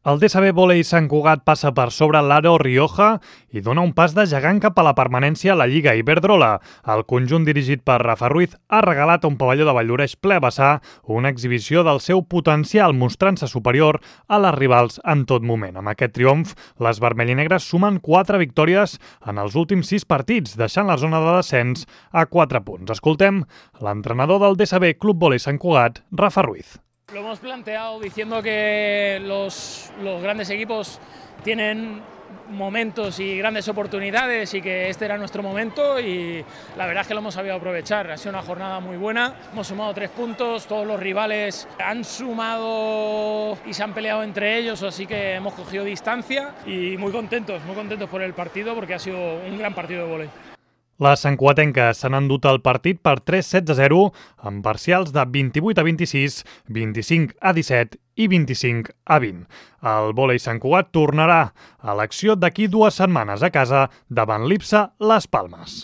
El DSB Vòlei Sant Cugat passa per sobre l'Aro Rioja i dona un pas de gegant cap a la permanència a la Lliga Iberdrola. El conjunt dirigit per Rafa Ruiz ha regalat a un pavelló de Valldoreix ple a vessar una exhibició del seu potencial, mostrant-se superior a les rivals en tot moment. Amb aquest triomf, les vermellinegres sumen 4 victòries en els últims 6 partits, deixant la zona de descens a 4 punts. Escoltem l'entrenador del DSB Club Vòlei Sant Cugat, Rafa Ruiz. Lo hemos planteado diciendo que los grandes equipos tienen momentos y grandes oportunidades y que este era nuestro momento y la verdad es que lo hemos sabido aprovechar. Ha sido una jornada muy buena, hemos sumado 3 puntos, todos los rivales han sumado y se han peleado entre ellos, así que hemos cogido distancia y muy contentos por el partido porque ha sido un gran partido de vòlei. Les santcugatenques s'han endut el partit per 3-7-0 amb parcials de 28-26, 25-17 i 25-20. El vòlei Sant Cugat tornarà a l'acció d'aquí 2 setmanes a casa davant l'Ipsa Les Palmes.